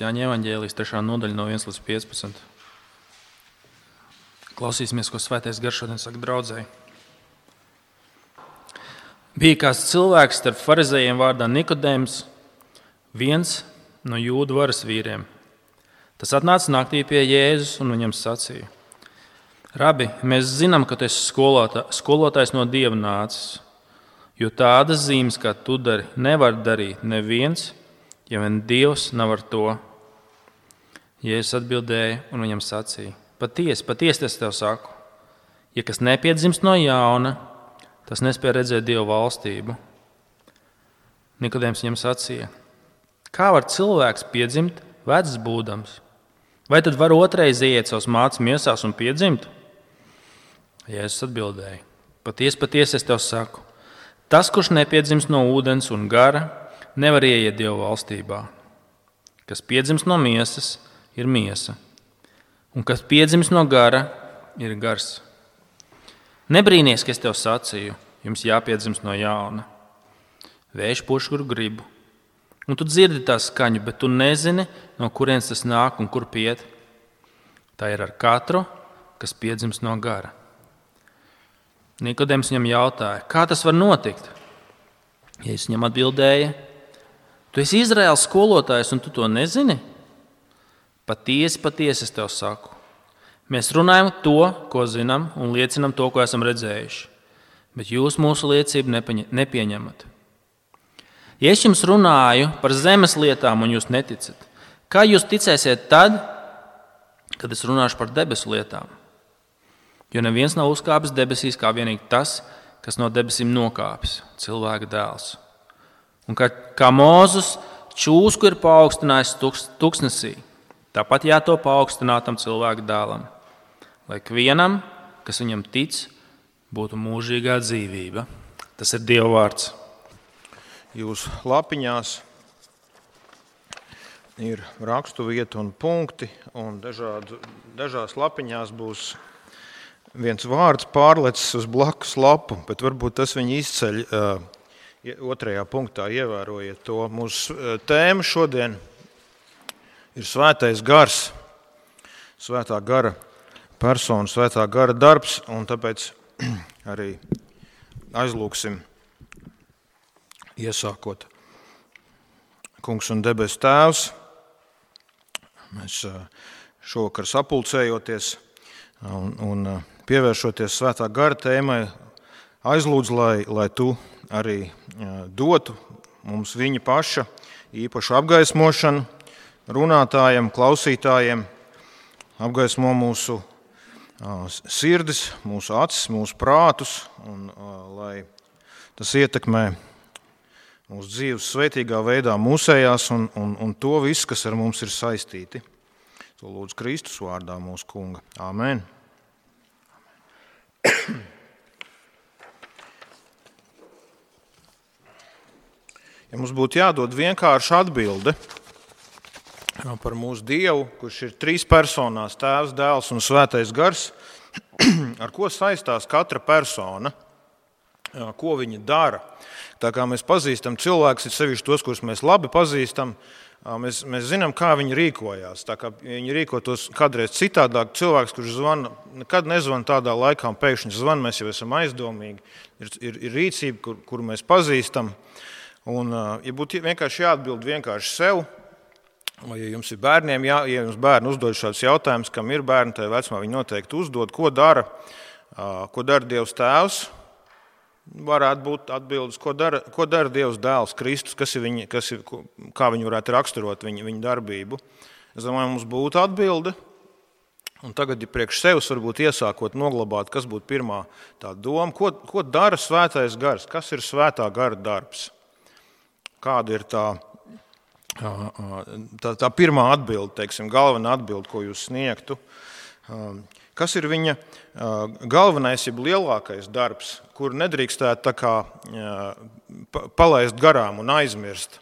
Jāņa evaņģēlijas 3. nodaļa no 1 līdz 15. Klausīsimies, ko Svētais Gars šodien saka draudzēji. Bija kāds cilvēks starp farizējiem vārdā Nikodēms, viens no jūdu varas vīriem. Tas atnāca naktī pie Jēzus un viņam sacīja: Rabi, mēs zinām, ka tu esi skolotājs no Dieva nācis, jo tādas zīmes, kā tu dari, nevar darīt neviens, ja vien Dievs nav ar to. Jēzus atbildēja un viņam sacīja: Patiesi es tev saku, ja kas nepiedzimst no jauna, tas nespēj redzēt Dieva valstību. Nikodēms viņam sacīja: Kā var cilvēks piedzimt vecs būdams? Vai tad var otrais ieiet savas mātes miesās un piedzimt? Jēzus atbildēja: Patiesi es tev saku, tas, kurš nepiedzimst no ūdens un gara, nevar ieiet Dieva valstībā. Kas piedzimst no miesas, ir miesa, un kas piedzimst no gara, ir gars. Nebrīnies, ka es tev sacīju, jums jāpiedzimst no jauna. Vējš puš, kur gribu, un tu dzirdi tā skaņu, bet tu nezini, no kurienes tas nāk un kur iet. Tā ir ar katru, kas piedzimst no gara. Nikodēms viņam jautāja: Kā tas var notikt? Jēzus viņam atbildēja: Tu esi Izraēlas skolotājs, un tu to nezini? Patiesi es tev saku. Mēs runājam to, ko zinām, un liecinām to, ko esam redzējuši, bet jūs mūsu liecību nepieņemat. Ja es jums runāju par zemes lietām, un jūs neticat, kā jūs ticēsiet tad, kad es runāšu par debesu lietām? Jo neviens nav uzkāpis debesīs kā vienīgi tas, kas no debesīm nokāpis, cilvēka dēls. Un kā Mūzes čūsku ir paaugstinājis tuksnesī, tāpat jātop paaugstinātam cilvēka dēlam, lai ikvienam, kas viņam tic, būtu mūžīgā dzīvība. Tas ir Dieva vārds. Jūsu lapiņās ir rakstu vieta un punkti, un dažās lapiņās būs viens vārds pārlecis uz blakus lapu, bet varbūt tas viņu izceļ otrajā punktā, ievērojiet to. Mūsu tēma šodien ir Svētais Gars, Svētā gara persona, Svētā gara darbs, un tāpēc arī aizlūksim, iesākot. Kungs un debesu Tēvs, mēs šovakar sapulcējoties un pievēršoties Svētā gara tēmai, aizlūdzu, lai tu arī dotu mums viņa paša īpašu apgaismošanu runātājiem, klausītājiem, apgaismo mūsu sirdis, mūsu acis, mūsu prātus, un lai tas ietekmē mūsu dzīves svētīgā veidā mūsējās un to visu, kas ar mums ir saistīti. To lūdzu Kristus vārdā mūsu kunga. Āmen. Ja mums būtu jādod vienkārša atbilde par mūsu Dievu, kurš ir trīs personās, Tēvs, Dēls un Svētais Gars, ar ko saistās katra persona, ko viņa dara. Tā kā mēs pazīstam cilvēkus, ir sevišķi tos, kurus mēs labi pazīstam, mēs zinām, kā viņi rīkojās. Tā kā viņi rīkotos kādreiz citādāk, cilvēks, kurš zvana, nekad nezvana tādā laikā, un pēkšņi zvana, mēs jau esam aizdomīgi. Ir rīcība, kuru mēs pazīstam. Un, ja būtu vienkārši jāatbild vienkārši sev, vai ja jums ir bērniem, ja jums bērni uzdod šādus jautājumus, kam ir bērni, tajā vecumā viņi noteikti uzdod, ko dara Dievs Tēvs, varētu būt atbildes, ko dara Dievs Dēls, Kristus, kā viņi varētu raksturot viņa darbību. Es domāju, mums būtu atbilde, un tagad, ja priekš sevis varbūt iesākot noglabāt, kas būtu pirmā tā doma, ko dara Svētais Gars, kas ir Svētā gara darbs? Kāda ir tā pirmā atbilde, teiksim, galvenā atbilde, ko jūs sniegtu? Kas ir viņa galvenais, jeb lielākais darbs, kur nedrīkstētu tā kā palaist garām un aizmirst?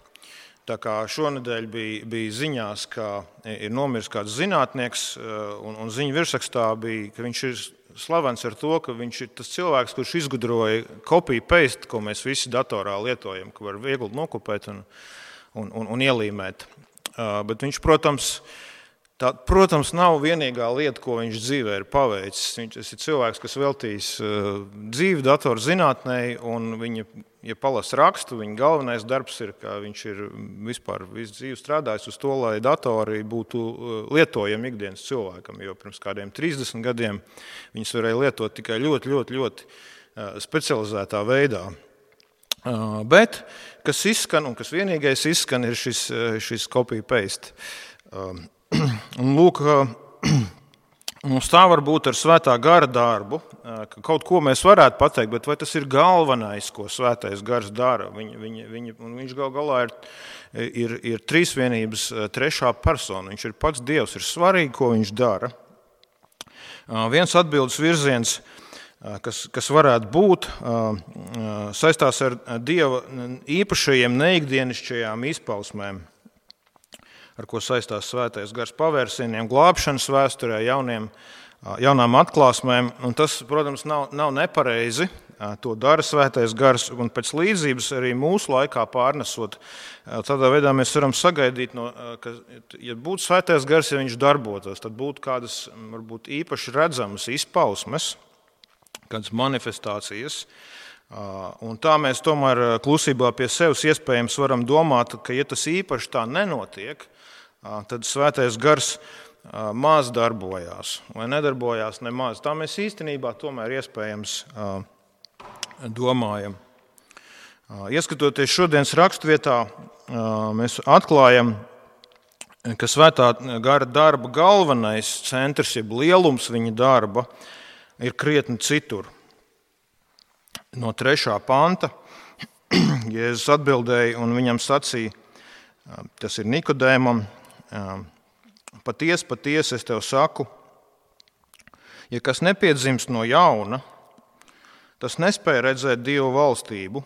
Tā kā šonedēļ bija ziņās, ka ir nomiris kāds zinātnieks, un ziņu virsrakstā bija, ka viņš ir slavens ar to, ka viņš ir tas cilvēks, kurš izgudroja copy-paste, ko mēs visi datorā lietojam, ka var viegli nokopēt un ielīmēt. bet viņš, protams, nav vienīgā lieta, ko viņš dzīvē ir paveicis. Viņš ir cilvēks, kas veltījis dzīvi datorzinātnē, un viņa, ja palasa rakstu, viņa galvenais darbs ir, ka viņš ir vispār visu dzīvi strādājis uz to, lai datori būtu lietojami ikdienas cilvēkam, jo pirms kādiem 30 gadiem viņus varēja lietot tikai ļoti specializētā veidā. Bet, kas izskan, un kas vienīgais izskan, ir šis copy-paste. Un lūk, mums tā var būt ar svētā gara darbu, ka kaut ko mēs varētu pateikt, bet vai tas ir galvenais, ko svētais gars dara? Viņš galā ir trīsvienības trešā persona. Viņš ir pats Dievs, ir svarīgi, ko viņš dara. Viens atbildes virziens, kas varētu būt, saistās ar Dieva īpašajiem neikdienišķajām izpausmēm, ar ko saistās svētais gars pavērsieniem, glābšanas vēsturē, jaunām atklāsmēm. Un tas, protams, nav nepareizi. To dara svētais gars, un pēc līdzības arī mūsu laikā pārnesot. Tādā veidā mēs varam sagaidīt, ka, ja būtu svētais gars, ja viņš darbotos, tad būtu kādas varbūt īpaši redzamas izpausmes, kādas manifestācijas. Un tā mēs tomēr klusībā pie sevis iespējams varam domāt, ka ja tas īpaši tā nenotiek, tad svētais gars maz darbojās vai nedarbojās nemaz. Tā mēs īstenībā tomēr iespējams domājam. Ieskatoties šodienas rakstvietā, mēs atklājam, ka svētā gara darba galvenais centrs, jeb lielums viņa darba, ir krietni citur. No 3. panta Jēzus atbildēja un viņam sacīja, tas ir Nikodēmam, patiesi es tev saku, ja kas nepiedzimst no jauna, tas nespēja redzēt Dievu valstību,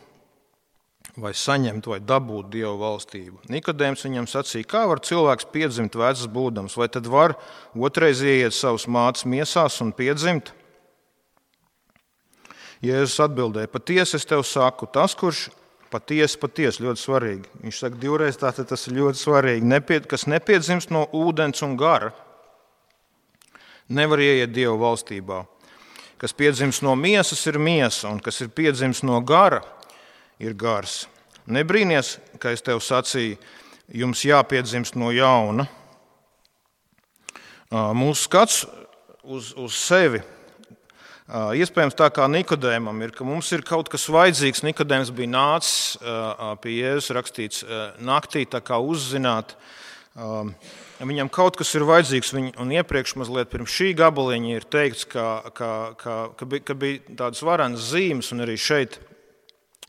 vai saņemt vai dabūt Dievu valstību. Nikodēms viņam sacīja, kā var cilvēks piedzimt vecs būdams, vai tad var otrais ieiet savas mātes miesās un piedzimt? Jēzus atbildēja, patiesi es tev saku, tas, kurš patiesi, ļoti svarīgi. Viņš saka divreiz, tātad tas ir ļoti svarīgi. Kas nepiedzimst no ūdens un gara, nevar ieiet Dieva valstībā. Kas piedzimst no miesas, ir miesa, un kas ir piedzimst no gara, ir gars. Nebrīnies, ka es tev sacīju, jums jāpiedzimst no jauna. Mūsu skats uz sevi, iespējams tā kā Nikodēmam ir, ka mums ir kaut kas vajadzīgs. Nikodēms bija nācis pie Jēzus, rakstīts naktī, tā kā uzzināt. Viņam kaut kas ir vajadzīgs, un iepriekš mazliet pirms šī gabaliņa ir teikts, ka bija tādas varenas zīmes, un arī šeit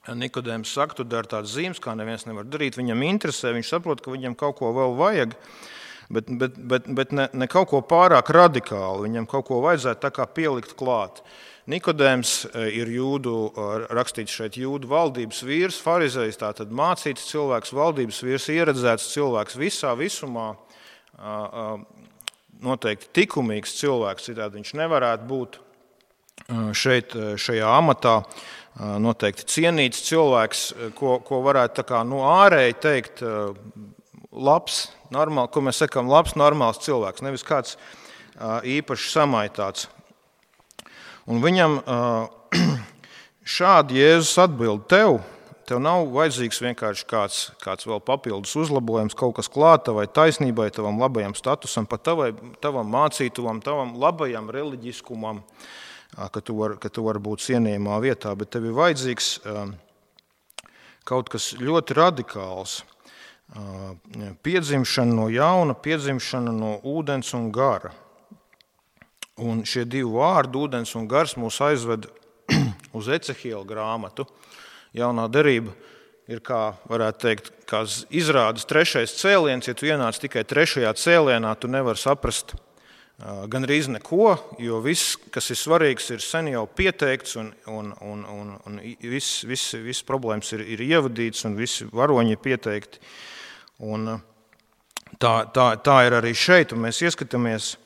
Nikodēms saka, tu dari tādas zīmes, kā neviens nevar darīt. Viņam interesē, viņš saprot, ka viņam kaut ko vēl vajag, bet ne kaut ko pārāk radikāli. Viņam kaut ko vajadzētu tā kā pielikt klāt. Nikodēms ir rakstīts šeit jūdu valdības vīrs, farizejs, tātad mācīts cilvēks, valdības vīrs, ieredzēts cilvēks visumā, noteikti likumīgs cilvēks, citādi viņš nevarētu būt šeit, šajā amatā, noteikti cienīts cilvēks, ko varētu tā kā ārēji teikt, labs, normāli, ko mēs sakām, labs, normāls cilvēks, nevis kāds īpaši samaitāts. Un viņam šādi Jēzus atbild, tev nav vajadzīgs vienkārši kāds vēl papildus uzlabojums, kaut kas klāt tavai taisnībai, tavam labajam statusam, pat tavam mācītuvam, tavam labajam reliģiskumam, ka tu vari būt cienījumā vietā, bet tev ir vajadzīgs kaut kas ļoti radikāls. Piedzimšana no jauna, piedzimšana no ūdens un gara. Un šie divi vārdi, ūdens un gars, mūs aizved uz Ecehiela grāmatu. Jaunā derība ir, kā varētu teikt, kā izrādes 3. cēliens. Ja tu ienāc tikai 3. cēlienā, tu nevari saprast gandrīz neko, jo viss, kas ir svarīgs, ir sen jau pieteikts un viss problēmas ir ievadīts un visi varoņi ir pieteikti. Un tā ir arī šeit, un mēs ieskatāmies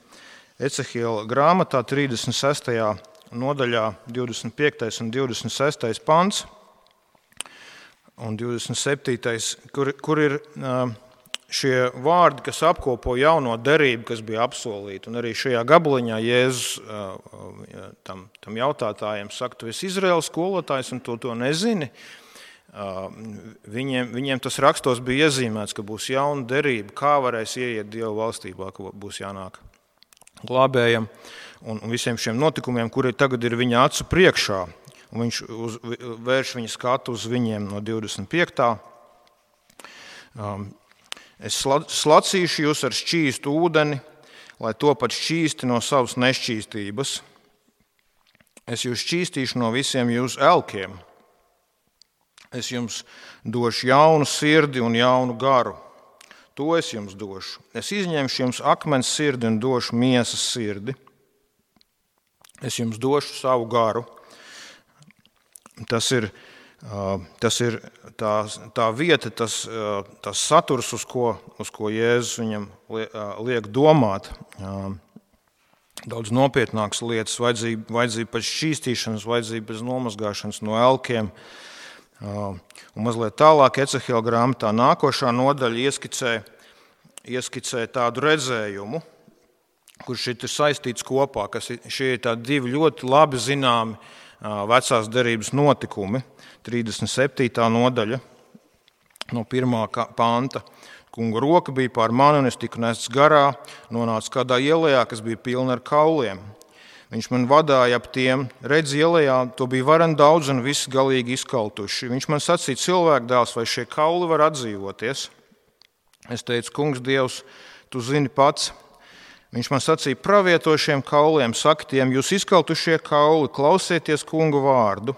Ecehiela grāmatā 36. nodaļā 25. un 26. pants un 27. kur ir šie vārdi, kas apkopo jauno derību, kas bija apsolīta, un arī šajā gabaliņā Jēzus tam jautātājiem saka, tu esi Izraēlas skolotājs un to nezini. Viņiem tas rakstos bija iezīmēts, ka būs jauna derība, kā varēs ieiet Dieva valstībā, ka būs jānāk glābējam un visiem šiem notikumiem, kuri tagad ir viņa acu priekšā. Un viņš vērš viņa skatu uz viņiem no 25. Es slacīšu jūs ar šķīstu ūdeni, lai topat šķīsti no savas nešķīstības. Es jūs šķīstīšu no visiem jūsu elkiem. Es jums došu jaunu sirdi un jaunu garu. To es jums došu. Es izņemšu jums akmens sirdi un došu miesas sirdi. Es jums došu savu garu. Tas ir tā vieta, tas saturs, uz ko Jēzus viņam liek domāt. Daudz nopietnākas lietas, vajadzība pēc šķīstīšanas, vajadzība pēc nomazgāšanas no elkiem. Un mazliet tālāk Ecehiela grāmatā nākošā nodaļa ieskicē tādu redzējumu, kurš ir saistīts kopā, kas šie ir tādi divi ļoti labi zināmi vecās derības notikumi. 37. nodaļa no 1. panta. Kunga roka bija pār mani, un es tiku nests garā, nonācu kādā ielējā, kas bija pilna ar kauliem. Viņš man vadāja ap tiem, redz ielējā, to bija varen daudz un visi galīgi izkaltuši. Viņš man sacīja, cilvēku dēls, vai šie kauli var atdzīvoties? Es teicu, kungs Dievs, tu zini pats. Viņš man sacīja, pravieto šiem kauliem, saka tiem, jūs izkaltušie kauli, klausieties kunga vārdu.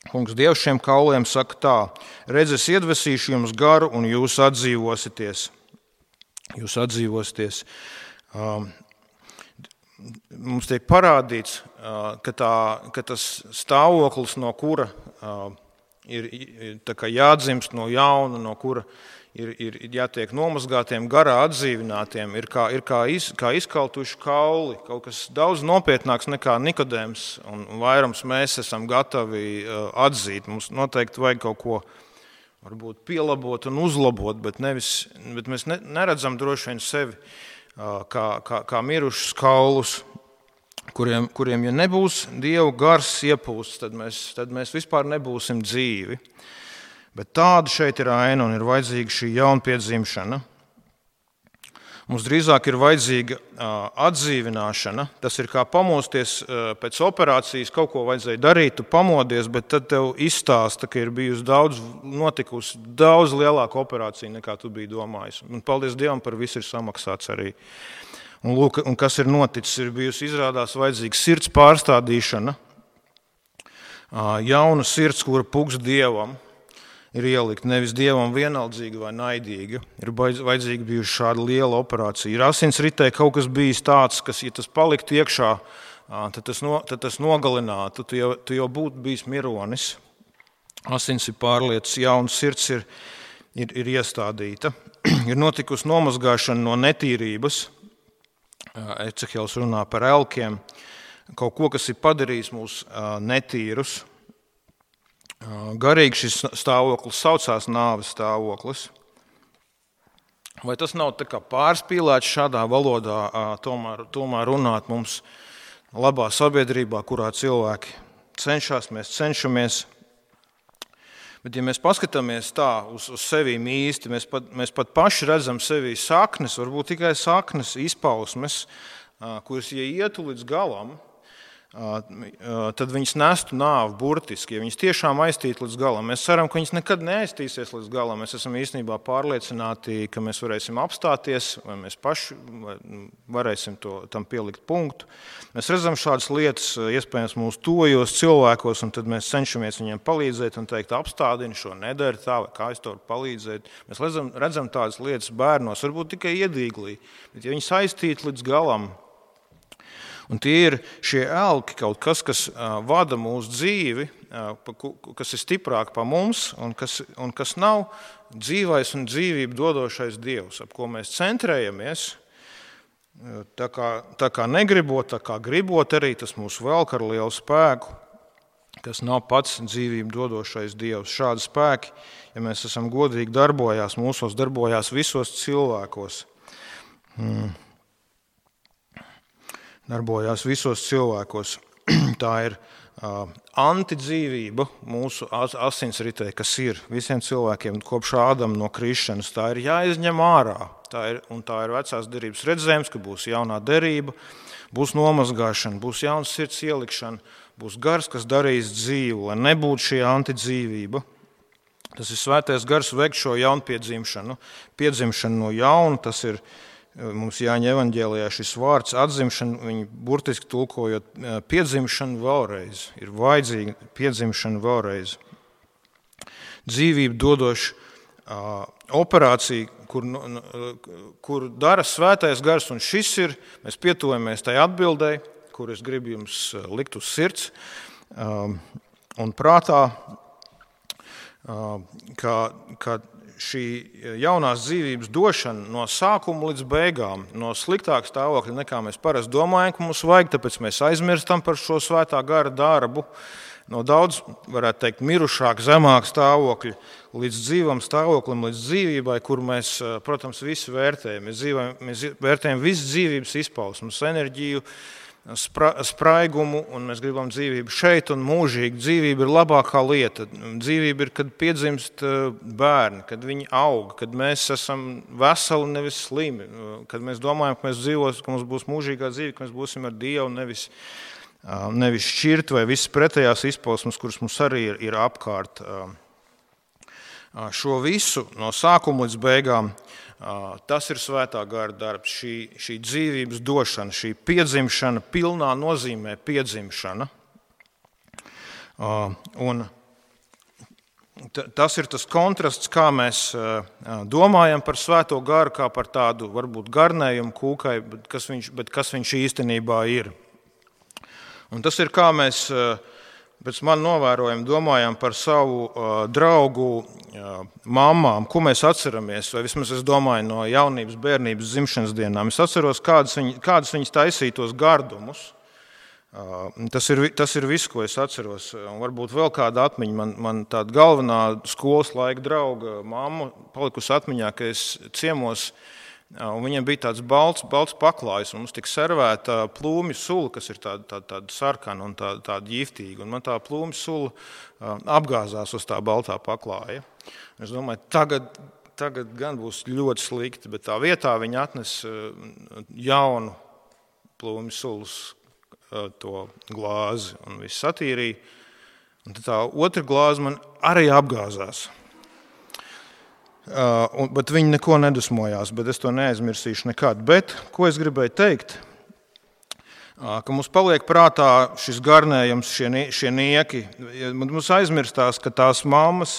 Kungs Dievs šiem kauliem saka tā, redz, es iedvesīšu jums garu un jūs atdzīvosieties. Mums tiek parādīts, ka tas stāvoklis, no kura ir jādzimst no jauna, no kura ir jātiek nomazgātiem, garā atdzīvinātiem, ir kā izkaltuši kauli, kaut kas daudz nopietnāks nekā Nikodēms, un vairums mēs esam gatavi atzīt. Mums noteikti vajag kaut ko varbūt pielabot un uzlabot, bet mēs neredzam droši vien sevi kā mirušus kaulus, kuriem ja nebūs Dieva gars iepūsts, tad mēs vispār nebūsim dzīvi. Bet tāda šeit ir aina un ir vajadzīga šī jaunpiedzimšana. Mums drīzāk ir vajadzīga atdzīvināšana. Tas ir kā pamosties pēc operācijas, kaut ko vajadzēja darīt, tu pamodies, bet tad tev izstāsta, ka ir notikusi daudz lielāka operācija, nekā tu biji domājis. Un paldies Dievam, par visu ir samaksāts arī. Un, lūk, un kas ir noticis, ir bijusi izrādās vajadzīga sirds pārstādīšana, jauna sirds, kura puks Dievam, ir ielikt nevis Dievam vienaldzīga vai naidīga. Ir vajadzīga bijusi šāda liela operācija. Ir asinsritē kaut kas bijis tāds, kas, ja tas paliktu iekšā, tad tas nogalinātu. Tu jau būtu bijis mironis. Asins ir pārlietas, jauna sirds ir iestādīta. Ir notikusi nomazgāšana no netīrības. Ecehēls runā par elkiem. Kaut ko, kas ir padarījis mūs netīrus. Garīgi šis stāvoklis saucās nāves stāvoklis. Vai tas nav tā kā pārspīlēts šādā valodā tomēr runāt mums labā sabiedrībā, kurā cilvēki cenšas, mēs cenšamies. Bet ja mēs paskatāmies tā uz sevīm īsti, mēs pat paši redzam sevī saknes, varbūt tikai saknes, izpausmes, kuras, ja ietu līdz galam, tad viņas nestu nāvi burtiski, ja viņas tiešām aiztīt līdz galam. Mēs ceram, ka viņas nekad neaiztīsies līdz galam. Mēs esam īstenībā pārliecināti, ka mēs varēsim apstāties, vai mēs paši varēsim tam pielikt punktu. Mēs redzam šādas lietas, iespējams, mūsu tojos cilvēkos, un tad mēs cenšamies viņiem palīdzēt un teikt, apstādini šo, nedari tā, vai kā es to varu palīdzēt. Mēs redzam tādas lietas bērnos, varbūt tikai iedīglī, bet ja viņas aiztīt līdz galam, un tie ir šie elki, kaut kas vada mūsu dzīvi, kas ir stiprāk par mums un kas nav dzīvais un dzīvību dodošais Dievs, ap ko mēs centrējamies. Tā kā negribot, tā kā gribot arī, tas mūs velk ar lielu spēku. kas nav pats dzīvību dodošais Dievs. Šādi spēki, ja mēs esam godīgi darbojās visos cilvēkos. Darbojās visos cilvēkos. Tā ir antidzīvība mūsu asinsritē, kas ir visiem cilvēkiem kopš Ādama no krišanas. Tā ir jāizņem ārā. Tā ir vecās derības redzējums, ka būs jaunā derība, būs nomazgāšana, būs jauns sirds ielikšana, būs gars, kas darīs dzīvu, lai nebūtu šī antidzīvība. Tas ir svētais gars veikt šo jaunpiedzimšanu. Piedzimšanu no jauna, tas ir mums Jāņa evaņģēlijā šis vārds atzimšana, viņi burtiski tulkojot piedzimšanu vēlreiz. Ir vajadzīga piedzimšana vēlreiz. Dzīvību dodoša operācija, kur dara svētais gars, un šis ir, mēs pietuvamies tai atbildēji, kur es gribu jums likt uz sirds un prātā, ka šī jaunās dzīvības došana no sākuma līdz beigām, no sliktāka stāvokļa nekā mēs parasti domājam, ka mums vajag, tāpēc mēs aizmirstam par šo svētā gara darbu, no daudz, varētu teikt, mirušāk, zemāk stāvokļa līdz dzīvam stāvoklim, līdz dzīvībai, kur mēs, protams, visu vērtējam. Mēs vērtējam visu dzīvības izpausmus, enerģiju, spraigumu, un mēs gribam dzīvību šeit un mūžīgi. Dzīvība ir labākā lieta. Dzīvība ir, kad piedzimst bērni, kad viņi aug, kad mēs esam veseli, nevis slimi, kad mēs domājam, ka mēs dzīvosim, ka mums būs mūžīgā dzīve, ka mēs būsim ar Dievu, nevis šķirt vai visas pretējās izpausmes, kuras mums arī ir apkārt. Šo visu no sākuma līdz beigām, tas ir svētā gara darbs, šī dzīvības došana, šī piedzimšana, pilnā nozīmē piedzimšana. Un tas ir tas kontrasts, kā mēs domājam par svēto garu, kā par tādu varbūt garnējumu kūkai, bet kas viņš īstenībā ir. Un tas ir, kā mēs pēc man novērojam, domājam par savu draugu mammām, ko mēs atceramies, vai vismaz es domāju no jaunības, bērnības, dzimšanas dienām. Es atceros, kādas viņas taisītos gardumus. Tas ir viss, ko es atceros. Un varbūt vēl kāda atmiņa, man tāda galvenā skolas laika drauga mamma palikusi atmiņā, ka es ciemos, un viņiem bija tāds balts paklājs, un mums tika servēta plūmju sula, kas ir tāda sarkana un tāda ģiftīga. Un man tā plūmju sula apgāzās uz tā baltā paklāja. Es domāju, tagad gan būs ļoti slikti, bet tā vietā viņi atnes jaunu plūmju sulas to glāzi un viss satīrīja. Un tad tā otra glāze man arī apgāzās. Bet viņi neko nedusmojās, bet es to neaizmirsīšu nekad. Bet, ko es gribēju teikt, ka mums paliek prātā šis garnējums, šie nieki. Mums aizmirstās, ka tās mammas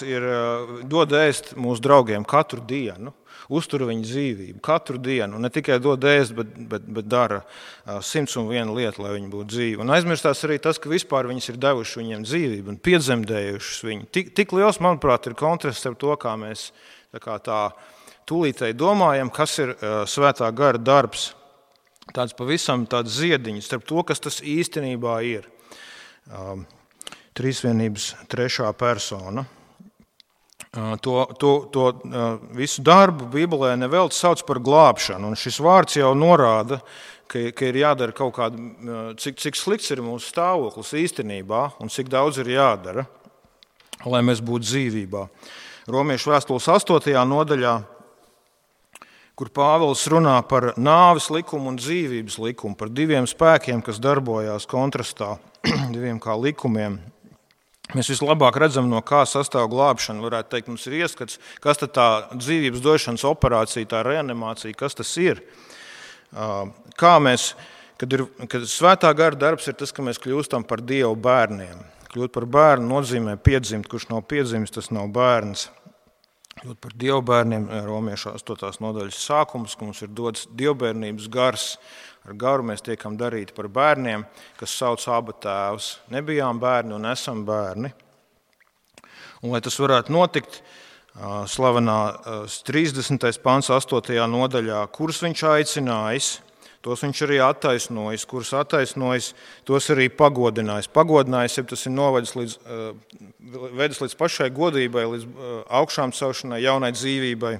dod ēst mūsu draugiem katru dienu, uztur viņu dzīvību katru dienu. Un ne tikai dod ēst, bet dara 101 lietu, lai viņi būtu dzīvi. Un aizmirstās arī tas, ka vispār viņas ir devuši viņiem dzīvību un piedzemdējušas viņu. Tik liels, manuprāt, ir kontrasts ar to, kā mēs tā tūlītēji domājam, kas ir svētā gara darbs. Tāds pavisam tāds ziediņš starp to, kas tas īstenībā ir. Trīsvienības trešā persona. To visu darbu Bībelē nevelti sauc par glābšanu. Un šis vārds jau norāda, ka ir jādara kaut kāda, cik slikts ir mūsu stāvoklis īstenībā un cik daudz ir jādara, lai mēs būtu dzīvībā. Romiešu vēstules 8. nodaļā, kur Pāvils runā par nāves likumu un dzīvības likumu, par diviem spēkiem, kas darbojās kontrastā, diviem kā likumiem. Mēs vislabāk redzam, no kā sastāv glābšana. Varētu teikt, mums ir ieskats, kas tad tā dzīvības došanas operācija, tā reanimācija, kas tas ir. Kā mēs, kad svētā gara darbs ir tas, ka mēs kļūstam par Dievu bērniem. Kļūt par bērnu nozīmē piedzimt, kurš nav piedzimis, tas nav bērns. Kļūt par Dievu bērniem, Romiešu 8. nodaļas sākums, ka mums ir dots dievbērnības gars. Ar garu mēs tiekam darīti par bērniem, kas sauc Aba tēvs. Nebijām bērni un esam bērni. Un, lai tas varētu notikt, slavenā 30. pants 8. nodaļā, kurus viņš aicinājis, tos viņš arī attaisnojis, kurus attaisnojis, tos arī pagodinājis. Pagodinājis, ja tas ir vedis līdz pašai godībai, līdz augšām celšanai, jaunai dzīvībai,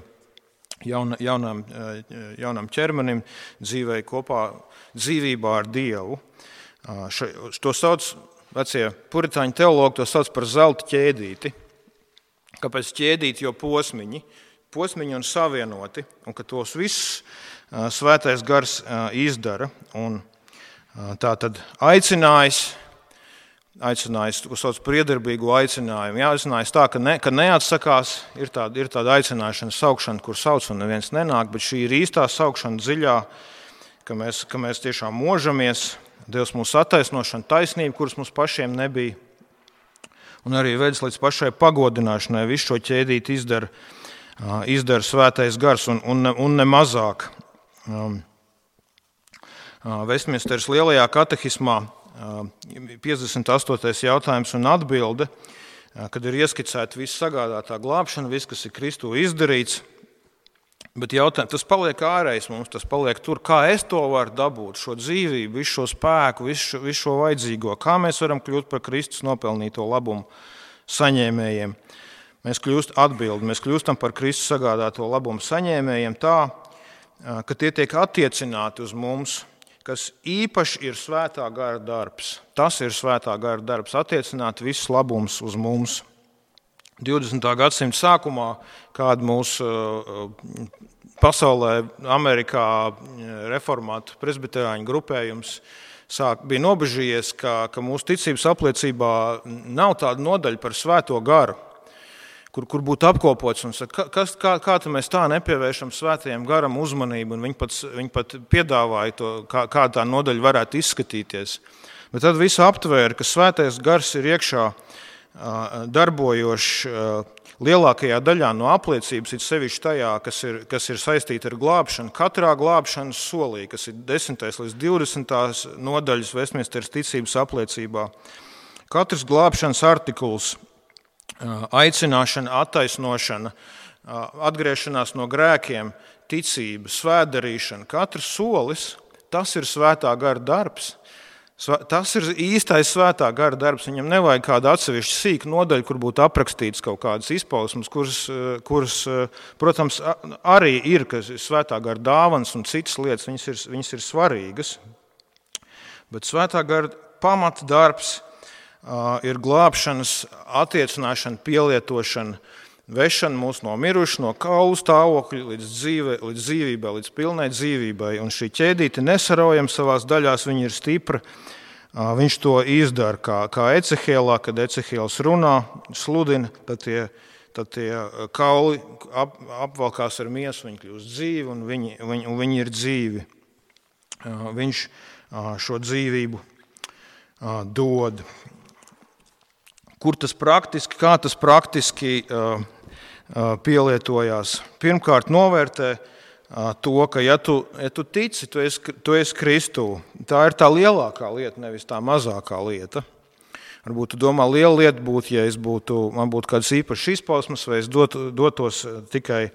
jaunam ķermenim, dzīvei kopā, dzīvībā ar Dievu. To sauc, vecie puritāņu teologi to sauc par zelta ķēdīti. Kāpēc ķēdīti, jo posmiņi un savienoti, un ka tos visus Svētais Gars izdara. Un tā tad aicinājis, ko sauc par iedarbīgu aicinājumu. Aicinājis tā, ka neatsakās, ir tāda aicināšana, saukšana, kur sauc un neviens nenāk, bet šī ir īstā saukšana dziļā, ka mēs tiešām možamies, Dievs mūsu attaisnošana, taisnība, kuras mums pašiem nebija, un arī vedis līdz pašai pagodināšanai. Visu šo ķēdīti izdara Svētais Gars un ne mazāk. Vestminsteras lielajā katehismā 58. jautājums un atbilde, kad ir ieskicēta viss sagādātā glābšana, viss, kas ir Kristū izdarīts, bet tas paliek ārējs mums, tas paliek tur, kā es to varu dabūt, šo dzīvību, visu šo spēku, visu šo vajadzīgo, kā mēs varam kļūt par Kristus nopelnīto labumu saņēmējiem. Mēs kļūstam par Kristus sagādāto labumu saņēmējiem tā, ka tie tiek attiecināti uz mums, kas īpaši ir Svētā Gara darbs. Tas ir Svētā Gara darbs, attiecināt visus labumus uz mums. 20. gadsimta sākumā, kāda mūsu pasaulē, Amerikā reformātu presbiterāņu grupējums bija nobežījies, ka mūsu ticības apliecībā nav tāda nodaļa par Svēto Garu, kur būtu apkopots un saka, kā mēs tā nepievēršam Svētajam Garam uzmanību, un viņi pat piedāvāja to, kā tā nodaļa varētu izskatīties. Bet tad visu aptvēra, ka Svētais Gars ir iekšā darbojošs lielākajā daļā no apliecības, it sevišķi tajā, kas ir saistīta ar glābšanu, katrā glābšanas solī, kas ir 10. līdz 20. nodaļas Vestminsteras ticības apliecībā. Katrs glābšanas artikuls, aicināšana, attaisnošana, atgriešanās no grēkiem, ticība, svētdarīšana, katrs solis, tas ir Svētā Gara darbs. Tas ir īstais Svētā Gara darbs. Viņam nevajag kādu atsevišķu sīku nodaļu, kur būtu aprakstīts kaut kādas izpausmes, kuras, protams, arī ir, ka Svētā Gara dāvanas un citas lietas, viņas ir svarīgas. Bet Svētā Gara pamata darbs ir glābšanas, attiecināšana, pielietošana, vešana mūs no miruša, no kaulu stāvokļa līdz dzīvībai, līdz pilnai dzīvībai. Un šī ķēdīte nesaraujama savās daļās, viņa ir stipra. Viņš to izdara kā Ecehielā, kad Ecehiels runā, sludina, tad tie kauli apvalkās ar miesu, viņi kļūst dzīvi un viņi ir dzīvi. Viņš šo dzīvību dod. Kā tas praktiski pielietojās? Pirmkārt, novērtē to, ka ja tu tici, tu esi Kristū. Tā ir tā lielākā lieta, nevis tā mazākā lieta. Varbūt tu domā, liela lieta būtu, ja man būtu kāds īpašs izpausmes, vai es dotos tikai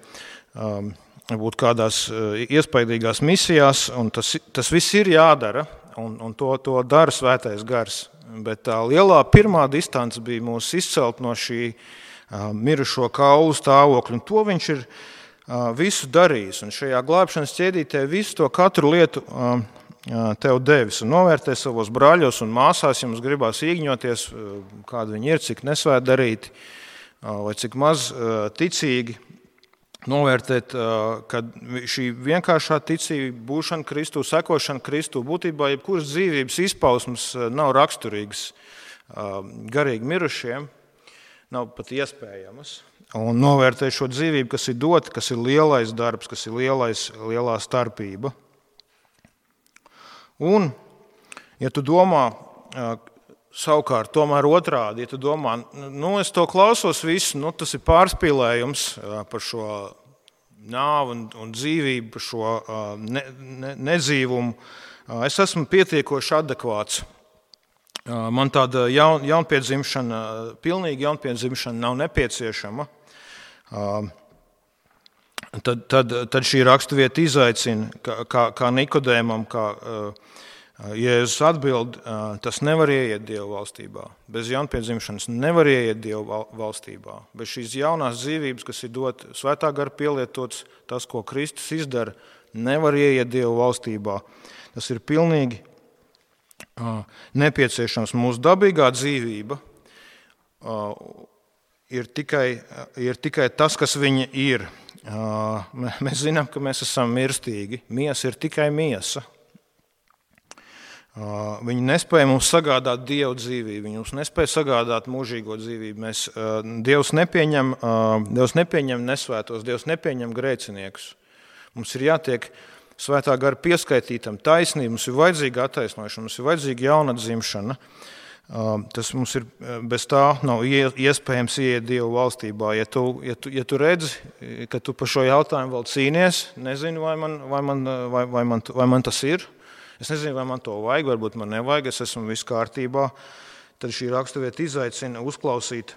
varbūt kādās iespaidīgās misijās, un tas viss ir jādara, un to dara Svētais Gars. Bet tā lielā pirmā distance bija mūs izcelt no šī mirušo kaulu stāvokļa, un to viņš ir visu darījis. Un šajā glābšanas ķēdītē visu to katru lietu tev devis. Un novērtē savos brāļos un māsās, ja mums gribās īgņoties, kādi viņi ir, cik nesvētdarīti vai cik maz ticīgi. Novērtēt, ka šī vienkāršā ticība, būšana Kristū, sekošana Kristū, būtībā jebkuras dzīvības izpausmes nav raksturīgas garīgi mirušiem, nav pat iespējamas. Un novērtēt šo dzīvību, kas ir dota, kas ir lielais darbs, kas ir lielā starpība. Un, ja tu domā, savukārt, tomēr otrādi, ja tu domā, es to klausos visu, tas ir pārspīlējums par šo nāvu un dzīvību, par šo nedzīvumu. Es esmu pietiekoši adekvāts. Man tāda jaunpiedzimšana, pilnīga jaunpiedzimšana nav nepieciešama. tad šī raksturvieta izaicina, kā Nikodēmam, kā Jēzus atbild, tas nevar ieiet Dieva valstībā. Bez jaunpiedzimšanas nevar ieiet Dieva valstībā. Bez šīs jaunās dzīvības, kas ir dot svētā gara pielietots, tas, ko Kristus izdara, nevar ieiet Dieva valstībā. Tas ir pilnīgi nepieciešams. Mūsu dabīgā dzīvība ir tikai tas, kas viņa ir. Mēs zinām, ka mēs esam mirstīgi. Miesa ir tikai miesa. Viņi nespēja mums sagādāt Dievu dzīvību, viņi mums nespēja sagādāt mūžīgo dzīvību. Dievs nepieņem nesvētos, Dievs nepieņem grēciniekus. Mums ir jātiek svētā gara pieskaitītam taisnība, mums ir vajadzīga attaisnošana, mums ir vajadzīga jaunatdzimšana. Tas mums ir, bez tā nav iespējams ieiet Dievu valstībā. Ja tu redzi, ka tu par šo jautājumu vēl cīnies, nezinu, vai man tas ir. Es nezinu, vai man to vajag, varbūt man nevajag, es esmu viss kārtībā. Tad šī raksturvieta izaicina uzklausīt,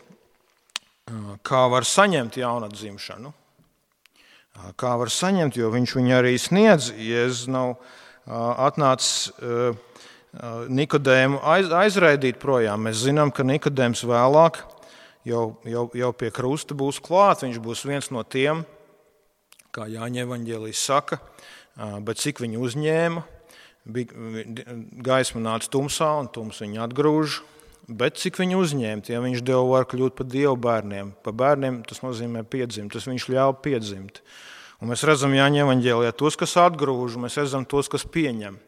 kā var saņemt jaunatdzimšanu. Kā var saņemt, jo viņš viņu arī sniedz. Jēzus nav atnācis Nikodēmu aizraidīt projām. Mēs zinām, ka Nikodēms vēlāk jau pie krusta būs klāt. Viņš būs viens no tiem, kā Jāņa evaņģēlijs saka, bet cik viņu uzņēma. Gaisma nāca tumsā, un tums viņu atgrūž, bet cik viņu uzņēma, ja viņš deva var kļūt par Dievu bērniem. Par bērniem tas nozīmē piedzimt, tas viņš ļauj piedzimt. Un mēs redzam Jāņa evaņģēlijā tos, kas atgrūž, un mēs redzam tos, kas pieņem.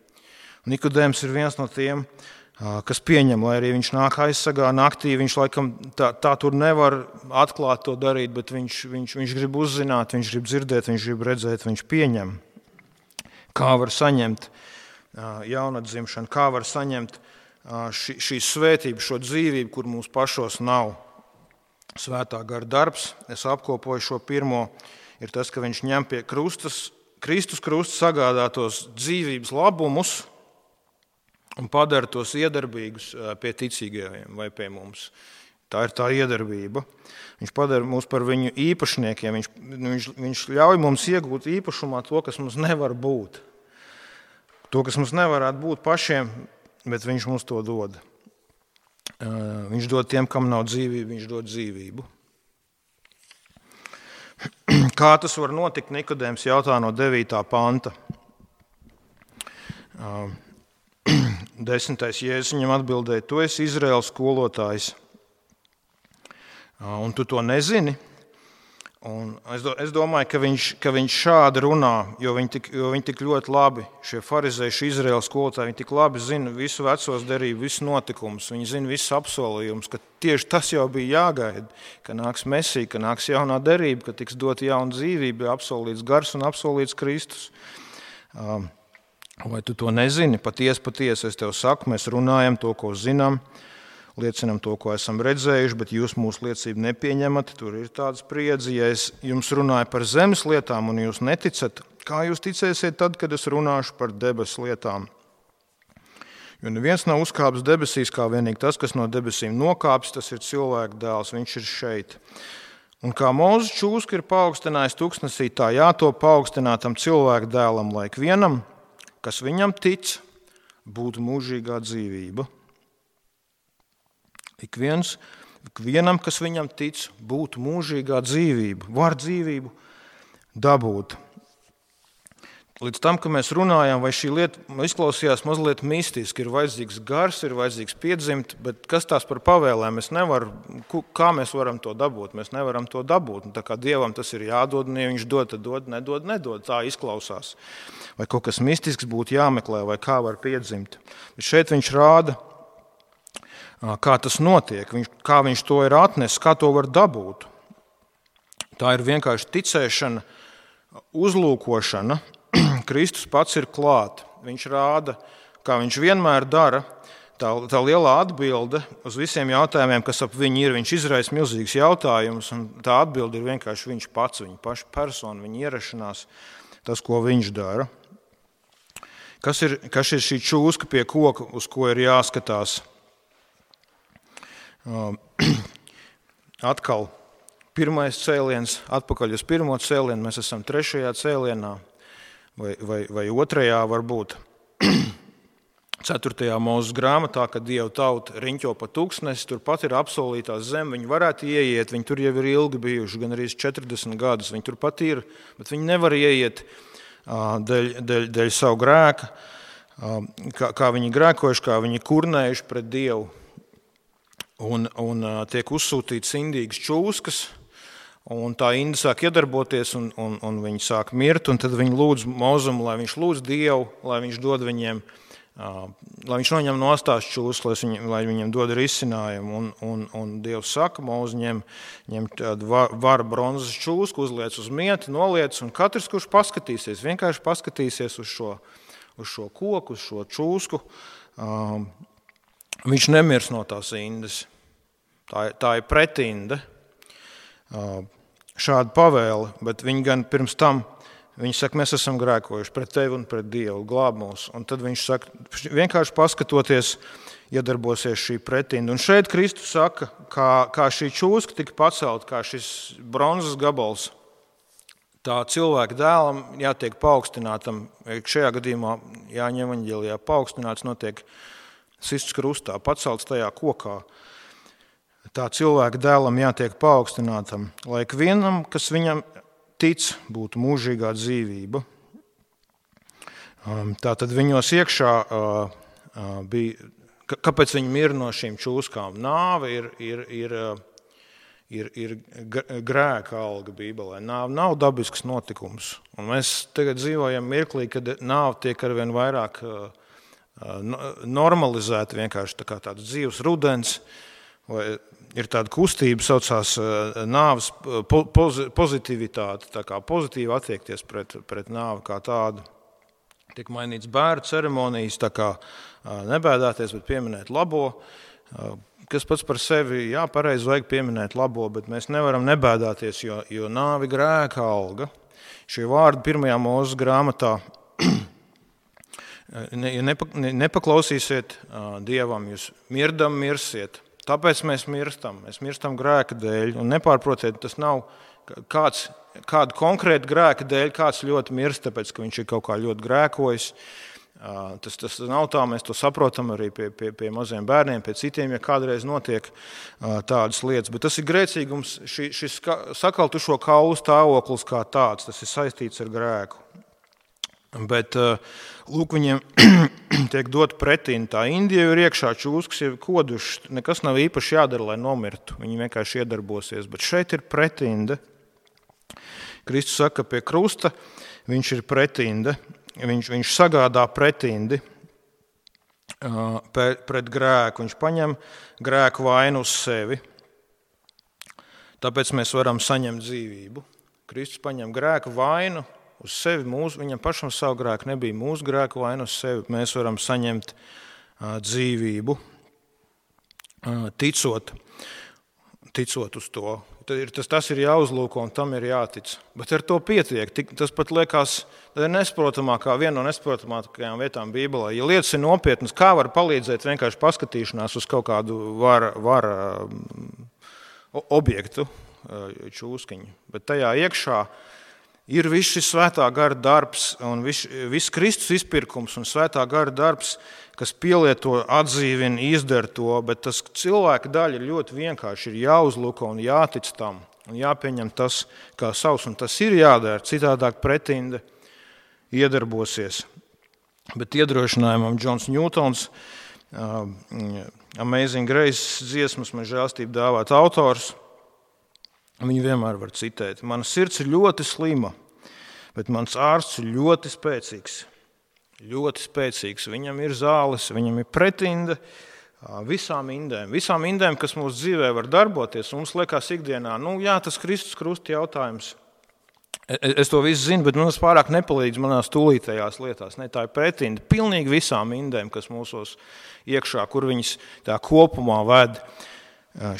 Nikodēms ir viens no tiem, kas pieņem, lai arī viņš nāk aizsargā naktī, viņš laikam tā tur nevar atklāt to darīt, bet viņš grib uzzināt, viņš grib dzirdēt, viņš grib redzēt, viņš pieņem. Kā var saņemt jaunatdzimšanu, kā var saņemt šīs svētības, šo dzīvību, kur mums pašos nav. Svētā gara darbs, es apkopoju šo pirmo, ir tas, ka viņš ņem pie Kristus krusta sagādātos dzīvības labumus un padara tos iedarbīgus pie ticīgajiem vai pie mums. Tā ir tā iedarbība. Viņš padara mūs par viņu īpašniekiem, viņš ļauj mums iegūt īpašumā to, kas mums nevar būt. To, kas mums nevarētu būt pašiem, bet viņš mums to dod. Viņš dod tiem, kam nav dzīvība, viņš dod dzīvību. Kā tas var notikt, Nikodēms jautā no 9. panta. 10. Jēzus viņam atbildēja, tu esi Izraēlas skolotājs, un tu to nezini. Un es domāju, ka viņš šādi runā, jo viņi tik ļoti labi, šie farizēji, šie Izraēlas skolotāji, viņi tik labi zina visu vecos derību, visu notikumus, viņi zina visus apsolījumus, ka tieši tas jau bija jāgaida, ka nāks Mesija, ka nāks jaunā derība, ka tiks dota jauna dzīvība, apsolīts gars un apsolīts Kristus. Vai tu to nezini? Patiesi, es tev saku, mēs runājam to, ko zinām, liecinam to, ko esam redzējuši, bet jūs mūsu liecību nepieņemat. Tur ir tāda spriedze, ja es jums runāju par zemes lietām un jūs neticat, kā jūs ticēsiet tad, kad es runāšu par debesu lietām? Jo neviens nav uzkāpis debesīs, kā vienīgi tas, kas no debesīm nokāpis, tas ir cilvēka dēls, viņš ir šeit. Un kā Mūzes čūska ir paaugstinājis tuksnesī, tā jātop paaugstinātam cilvēka dēlam, lai ikvienam, kas viņam tic, būtu mūžīgā dzīvība. Ikvienam, kas viņam tic, būtu mūžīgā dzīvība, var dzīvību dabūt. Līdz tam, ka mēs runājām, vai šī lieta izklausījās mazliet mistiski, ir vajadzīgs gars, ir vajadzīgs piedzimt, bet kas tās par pavēlēm? Kā mēs varam to dabūt? Mēs nevaram to dabūt. Tā kā Dievam tas ir jādod, un ja viņš dod, tad dod, nedod. Tā izklausās. Vai kaut kas mistisks būtu jāmeklē, vai kā var piedzimt. Bet šeit viņš rāda, kā tas notiek, kā viņš to ir atnesis, kā to var dabūt. Tā ir vienkārši ticēšana, uzlūkošana. Kristus pats ir klāt. Viņš rāda, kā viņš vienmēr dara. Tā lielā atbilde uz visiem jautājumiem, kas ap viņu ir, viņš izraisa milzīgs jautājums, un tā atbilde ir vienkārši viņš pats, viņa paša persona, viņa ierašanās, tas, ko viņš dara. Kas ir šī čūska pie koka, uz ko ir jāskatās? Atkal pirmais cēliens, atpakaļ uz pirmo cēlienu, mēs esam trešajā cēlienā vai otrajā varbūt. 4. Mūzes grāmatā, kad Dieva tauta riņķo pa tūkstnesi, turpat ir apsolītā zeme, viņi varētu ieiet, viņi tur jau ir ilgi bijuši, gan arī 40 gadus, viņi turpat ir, bet viņi nevar ieiet dēļ savu grēka, kā viņi grēkojuši, kā viņi kurnējuši pret Dievu, un tiek uzsūtīts indīgas čūskas, un tā indi sāk iedarboties, un viņi sāk mirt, un tad viņi lūdz Mozumu, lai viņš lūdz Dievu, lai viņš dod viņiem, lai viņš noņem nostās čūskas, lai viņiem dod risinājumu, un Dievs saka, Moze ņem tādu varu bronzas čūsku, uzliec uz mieti, noliec, un katrs, kurš paskatīsies, vienkārši paskatīsies uz šo koku, uz šo čūsku, viņš nemirs no tās indes. Tā ir pretinde, šāda pavēle, bet viņi gan pirms tam, viņi saka, mēs esam grēkojuši pret tevi un pret Dievu, glāb mūs. Un tad viņš saka, vienkārši paskatoties, iedarbosies šī pretinda. Un šeit Kristus saka, kā šī čūska tika pacelt, kā šis bronzas gabals, tā cilvēka dēlam jātiek paaugstinātam. Šajā gadījumā Jāņa evaņģēlijā paaugstināts notiek sists krustā, pacelts tajā kokā. Tā cilvēka dēlam jātiek paaugstinātam, lai ikvienam, kas viņam tic, būtu mūžīgā dzīvība. Tātad viņos iekšā bija, kāpēc viņi mir no šīm čūskām? Nāve ir grēka alga Bībelē. Nāve nav dabisks notikums. Un mēs tagad dzīvojam mirklī, kad nāve tiek arvien vairāk normalizēta, vienkārši tāds dzīves rudens, vai ir tāda kustība, saucās nāves pozitivitāte, tā kā pozitīvi attiekties pret nāvi kā tādu. Tiek mainīts bērnu ceremonijas, tā kā nebēdāties, bet pieminēt labo, kas pats par sevi, jā, pareizi vajag pieminēt labo, bet mēs nevaram nebēdāties, jo nāvi grēka alga. Šie vārdi 1. Mūzes grāmatā, ja nepaklausīsiet Dievam, jūs mirdam mirsiet. Tāpēc mēs mirstam grēka dēļ, un nepārprotiet, tas nav kādu konkrētu grēka dēļ, kāds ļoti mirst, tāpēc, ka viņš ir kaut kā ļoti grēkojis. Tas nav tā, mēs to saprotam arī pie maziem bērniem, pie citiem, ja kādreiz notiek tādas lietas, bet tas ir grēcīgums, šis sakaltušo kaulu stāvoklis kā tāds, tas ir saistīts ar grēku. Bet, lūk, viņiem tiek dot pretīm. Tā Indija ir iekšā čūskas, jau kodušas, nekas nav īpaši jādara, lai nomirtu. Viņi vienkārši iedarbosies. Bet šeit ir pretinde. Kristus saka, pie krusta viņš ir pretinde. Viņš sagādā pretindi pret grēku. Viņš paņem grēku vainu uz sevi. Tāpēc mēs varam saņemt dzīvību. Kristus paņem grēku vainu uz sevi, viņam pašam savu grēku nebija, mūsu grēku vainu uz sevi, mēs varam saņemt dzīvību, ticot uz to. Tas ir jāuzlūko un tam ir jātic. Bet ar to pietiek. Tas pat liekas nesaprotamākā, viena no nesaprotamākajām vietām Bībelē. Ja lietas ir nopietnas, kā var palīdzēt vienkārši paskatīšanās uz kaut kādu vara objektu, čūskiņu. Bet tajā iekšā ir viss šis svētā gara darbs un viss Kristus izpirkums un svētā gara darbs, kas pielieto, atdzīvina, izdara to, bet tas cilvēka daļa ir ļoti vienkārši, ir jāuzlūko un jātic tam un jāpieņem tas kā savs, un tas ir jādara, citādāk pretinde iedarbosies. Bet iedrošinājumam Džons Ņūtons, Amazing Grace dziesmas, man žēlstība dāvāt autors, viņu vienmēr var citēt. Mana sirds ir ļoti slima, bet mans ārsts ir ļoti spēcīgs. Ļoti spēcīgs. Viņam ir zāles, viņam ir pretinde visām indēm, kas mūsu dzīvē var darboties. Mums liekas ikdienā, tas Kristus krusta jautājums. Es to visu zinu, bet tas pārāk nepalīdz manās tūlītējās lietās. Ne, tā ir pretinde pilnīgi visām indēm, kas mūsos iekšā, kur viņas tā kopumā ved.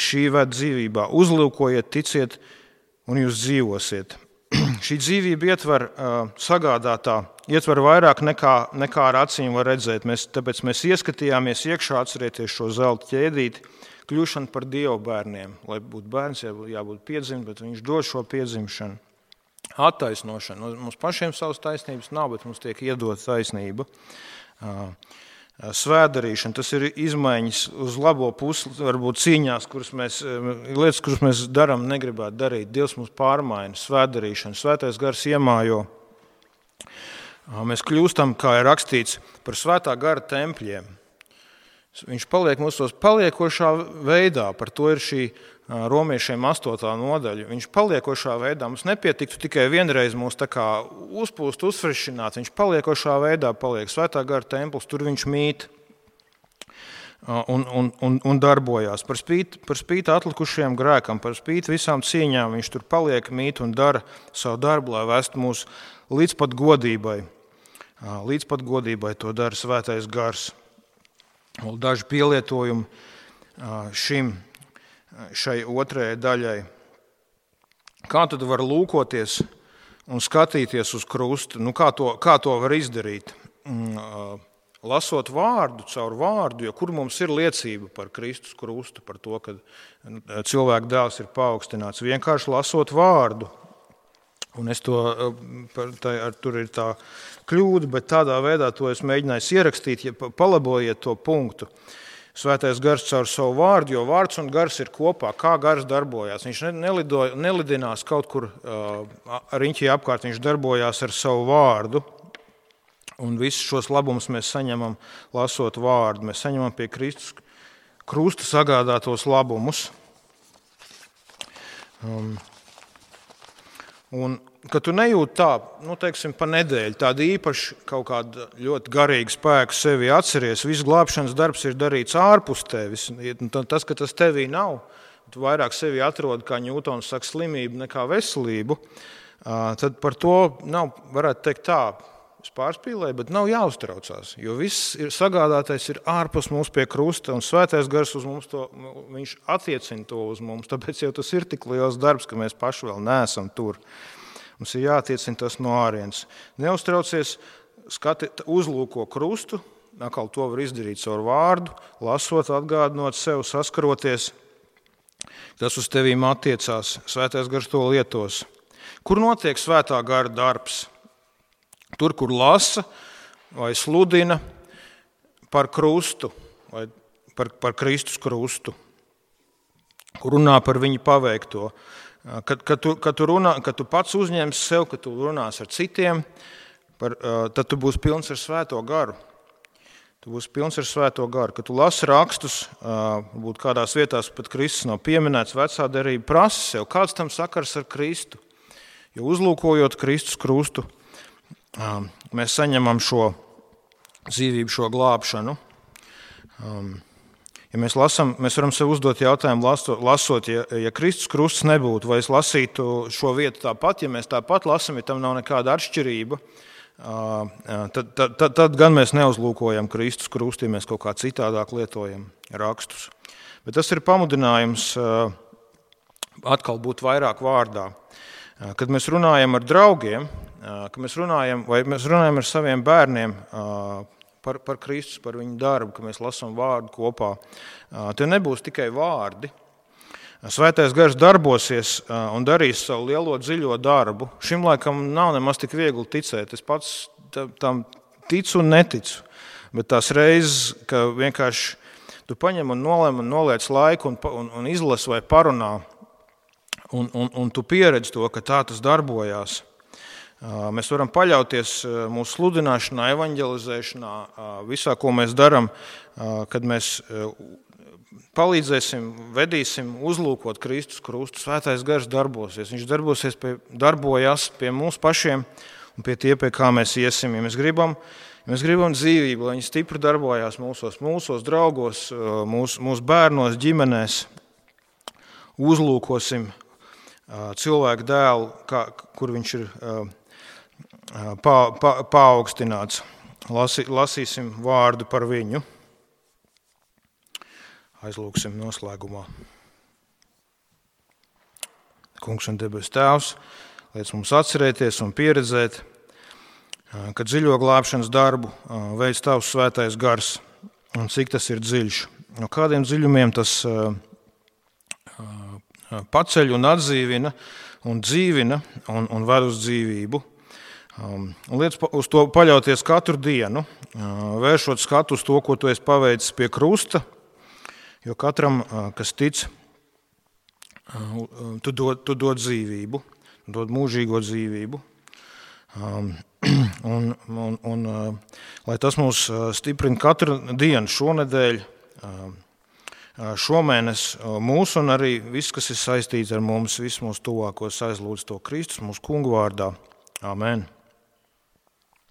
Šī ved dzīvībā. Uzlūkojiet, ticiet, un jūs dzīvosiet. Šī dzīvība ietver vairāk nekā ar acīm var redzēt. Tāpēc mēs ieskatījāmies iekšā, atcerieties šo zelta ķēdīti, kļūšanu par Dieva bērniem. Lai būtu bērns, jābūt piedzimt, bet viņš dod šo piedzimšanu. Attaisnošana. Mums pašiem savas taisnības nav, bet mums tiek iedot taisnība. Svētdarīšana, tas ir izmaiņas uz labo pusi, varbūt cīņās, lietas, kuras mēs darām, negribētu darīt. Dievs mums pārmaina, svētdarīšana, svētais gars iemājo. Mēs kļūstam, kā ir rakstīts, par svētā gara tempļiem. Viņš paliek mūsos paliekošā veidā, par to ir šī Romiešiem 8. nodaļa. Viņš paliekošā veidā, mums nepietiktu tikai vienreiz mūs tā kā uzpūst, uzfrišināt, viņš paliekošā veidā paliek svētā gara templis, tur viņš mīt un darbojās. Par spīti atlikušajiem grēkam, par spīti visām cīņām, viņš tur paliek, mīt un dara savu darbu, lai vestu mūs līdz pat godībai. Līdz pat godībai to dara svētais gars. Daži pielietojumi šai otrajai daļai. Kā tad var lūkoties un skatīties uz krustu? Kā to var izdarīt? Lasot vārdu, caur vārdu, jo kur mums ir liecība par Kristus krustu, par to, ka cilvēka dēls ir paaugstināts. Vienkārši lasot vārdu. Un tur ir tā kļūda, bet tādā veidā to es mēģināju ierakstīt, palabojiet to punktu. Svētais gars caur savu vārdu, jo vārds un gars ir kopā, kā gars darbojās. Viņš nelidinās kaut kur riņķī apkārt, viņš darbojās ar savu vārdu. Un visus šos labumus mēs saņemam lasot vārdu. Mēs saņemam pie Kristus krusta sagādātos labumus. Un, kad tu nejūti tā, teiksim, pa nedēļu, tāda īpaši kaut kāda ļoti garīga spēka sevi atceries, viss glābšanas darbs ir darīts ārpus tevis. Tas, ka tas tevī nav, tu vairāk sevi atrodi, kā Ņūtons saka, slimību nekā veselību, tad par to nav, varētu teikt tā, es pārspīlēju, bet nav jāuztraucās, jo viss ir sagādātais ir ārpus mums pie krusta, un svētais gars uz mums viņš attiecina to uz mums, tāpēc jau tas ir tik liels darbs, ka mēs paši vēl neesam tur. Mums ir jātiecina tas no ārienes. Neuztraucies, uzlūko krustu, atkal to var izdarīt caur vārdu, lasot, atgādinot sev, saskaroties. Tas uz tevīm attiecās, svētais gars to lietos. Kur notiek svētā gara darbs? Tur, kur lasa vai sludina par krustu, vai par Kristus krustu, kur runā par viņu paveikto. Kad tu pats uzņemsi sev, kad tu runās ar citiem, tad tu būsi pilns ar svēto garu. Tu būsi pilns ar svēto garu. Kad tu lasi rakstus, varbūt kādās vietās pat Kristus nav pieminēts, vecā derība prasa sev, kāds tam sakars ar Kristu. Jo uzlūkojot Kristus krustu, mēs saņemam šo dzīvību, šo glābšanu. Ja mēs lasām, mēs varam sev uzdot jautājumu, lasot, ja Kristus krusts nebūtu, vai es lasītu šo vietu tāpat, ja mēs tāpat lasām, ja tam nav nekāda atšķirība, tad gan mēs neuzlūkojam Kristus krustu, ja mēs kaut kā citādāk lietojam rakstus. Bet tas ir pamudinājums atkal būt vairāk vārdā. Kad mēs runājam ar draugiem, kad mēs runājam ar saviem bērniem par Kristus, par viņu darbu, kad mēs lasām vārdu kopā, te nebūs tikai vārdi. Svētais gars darbosies un darīs savu lielo dziļo darbu. Šim laikam nav nemaz tik viegli ticēt. Es pats tam ticu un neticu. Bet tās reizes, ka vienkārši tu paņem un noliec laiku un izlasi vai parunā, un tu pieredzi to, ka tā tas darbojās. Mēs varam paļauties mūsu sludināšanā, evaņģelizēšanā, visā, ko mēs darām, kad mēs palīdzēsim, vedīsim, uzlūkot Kristus krustu. Svētais gars darbosies. Viņš darbojas pie mums pašiem un pie tie, pie kā mēs iesim. Ja mēs gribam dzīvību, lai viņi stipri darbojās mūsos draugos, mūsu bērnos, ģimenēs, uzlūkosim cilvēku dēlu, kur viņš ir paaugstināts. Lasīsim vārdu par viņu. Aizlūksim noslēgumā. Kungs un debesu Tēvs, liec mums atcerēties un pieredzēt, ka dziļo glābšanas darbu veids Tavs svētais gars un cik tas ir dziļš. no kādiem dziļumiem tas paceļ un atdzīvina un dzīvina un ved uz dzīvību. Liec uz to paļauties katru dienu, vēršot skatu uz to, ko tu esi paveicis pie krusta, jo katram, kas tic, tu dod dzīvību, dod mūžīgo dzīvību. Un lai tas mūs stiprina katru dienu, šonedēļ, šomēnes mūsu un arī viss, kas ir saistīts ar mums, visus mūsu tuvākos aizlūdz to Kristus mūsu kungu vārdā. Amen.